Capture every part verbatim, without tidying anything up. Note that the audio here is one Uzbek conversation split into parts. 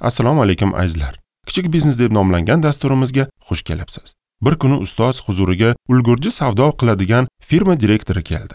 Assalomu alaykum azizlar. Kichik biznes deb nomlangan dasturimizga xush kelibsiz. Bir kuni ustoz huzuriga ulgurji savdo qiladigan firma direktori keldi.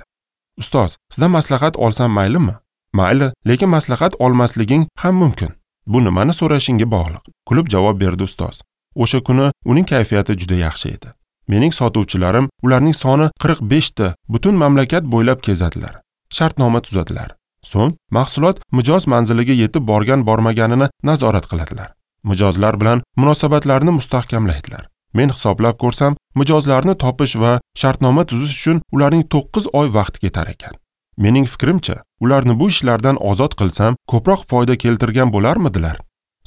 Ustoz, sizdan maslahat olsam maylimi? Mayli, lekin maslahat olmasliging ham mumkin. Bu nimani so'rashingga bog'liq, kulib javob berdi ustoz. O'sha kuni uning kayfiyati juda yaxshi edi. Mening sotuvchilarim, ularning soni qirq besh ta, butun mamlakat bo'ylab kezadilar. Shartnoma tuzadilar. So'ng mahsulot mijoz manziliga yetib borgan bormaganini nazorat qiladilar. Mijozlar bilan munosabatlarni mustahkamlaydilar. Men hisoblab ko'rsam, mijozlarni topish va shartnoma tuzish uchun ularning to'qqiz oy vaqti ketar ekan. Mening fikrimcha, ularni bu ishlardan ozod qilsam, ko'proq foyda keltirgan bo'larmidilar?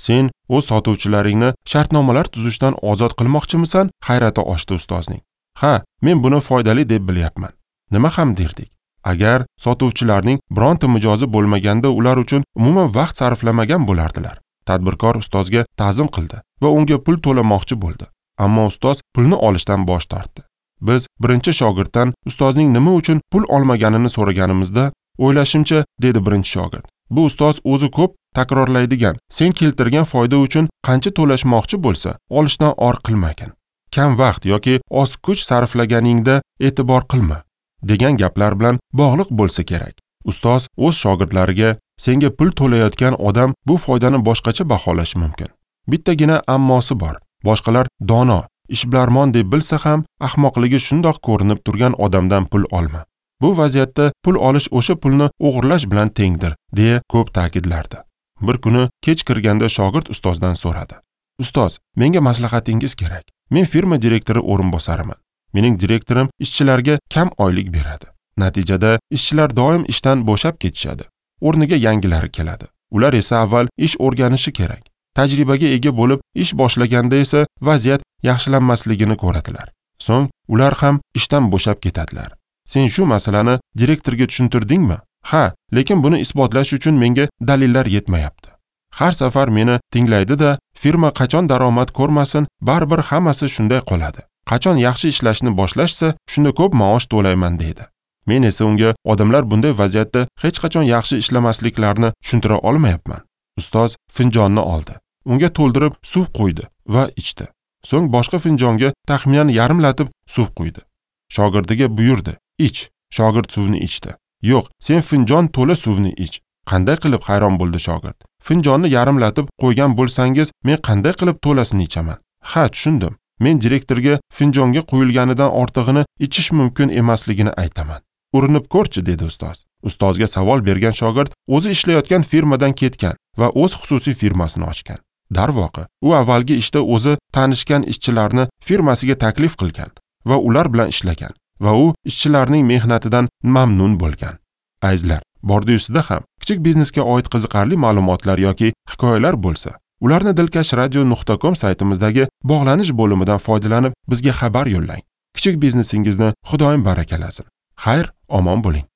Sen o'z sotuvchilaringni shartnomalar tuzishdan ozod qilmoqchimisan? Hayrati oshdi ustozning. Ha, men buni foydali deb bilyapman. Nima ham derdik? Agar sotuvchilarning bironta mijozi bo'lmaganda ular uchun umuman vaqt sarflamagan bo'lardilar. Tadbirkor ustozga ta'zim qildi va unga pul to'lamoqchi bo'ldi. Ammo ustoz pulni olishdan bosh tortdi. Biz birinchi shogirddan ustozning nima uchun pul olmaganini so'raganimizda, o'ylashimcha, dedi birinchi shogird. Bu ustoz o'zi ko'p takrorlaydigan, sen keltirgan foyda uchun qancha to'lashmoqchi bo'lsa, olishdan or qilmagin. Kam vaqt yoki oz kuch sarflaganingda e'tibor qilma, degan gaplar bilan bog'liq bo'lsa kerak. Ustoz o'z shogirdlariga senga pul to'layotgan odam bu foydani boshqacha baholashi mumkin. Bittagina ammosi bor. Boshqalar dono, ishbilarmon deb bilsa ham, ahmoqligi shundoq ko'rinib turgan odamdan pul olma. Bu vaziyatda pul olish o'sha pulni o'g'irlash bilan tengdir, deya ko'p ta'kidlardi. Bir kuni kech kirganda shogird ustozdan so'radi. Ustoz, menga maslahatingiz kerak. Men firma direktori o'rinbosariman. Mening direktorim ishchilarga kam oylik beradi. Natijada ishchilar doim ishdan bo'shab ketishadi. O'rniga yangilari keladi. Ular esa avval ish o'rganishi kerak. Tajribaga ega bo'lib ish boshlaganda esa vaziyat yaxshilanmasligini ko'radilar. So'ng ular ham ishdan bo'shab ketadilar. Sen shu masalani direktorga tushuntirdingmi? Ha, lekin buni isbotlash uchun menga dalillar yetmayapti. Har safar meni tinglaydi-da, firma qachon daromad ko'rmasin, baribir hammasi shunday qoladi. Qachon yaxshi ishlashni boshlashsa, shunda ko'p maosh to'layman deydi. Men esa unga odamlar bunday vaziyatda hech qachon yaxshi ishlamasliklarini tushuntira olmayapman. Ustoz finjonni oldi. Unga to'ldirib suv quydi va ichdi. So'ng boshqa finjonga taxminan yarimlatib suv quydi. Shogirdiga buyurdi: "Ich." Shogird suvni ichdi. "Yo'q, sen finjon to'la suvni ich." Qanday qilib hayron bo'ldi shogird. "Finjonni yarimlatib qo'ygan bo'lsangiz, men qanday qilib to'lasini ichaman?" "Ha, tushundim. Men direktorga finjonga quyilganidan ortig'ini ichish mumkin emasligini aytaman." "Urinib ko'rchi," dedi ustoz. Ustozga savol bergan shogird o'zi ishlayotgan firmadan ketgan va o'z xususiy firmasini ochgan. Darvoqe, u avvalgi ishda o'zi tanishgan ishchilarni firmasiga taklif qilgan va ular bilan ishlagan va u ishchilarning mehnatidan mamnun bo'lgan. Azizlar, bordi-yusida ham kichik biznesga oid qiziqarli ma'lumotlar yoki hikoyalar bo'lsa, ularni dilkash radio nuqta com saytimizdagi bog'lanish bo'limidan foydalanib bizga xabar yo'llang. Kichik biznesingizni Xudoyim barakalasin. Xayr, omon bo'ling.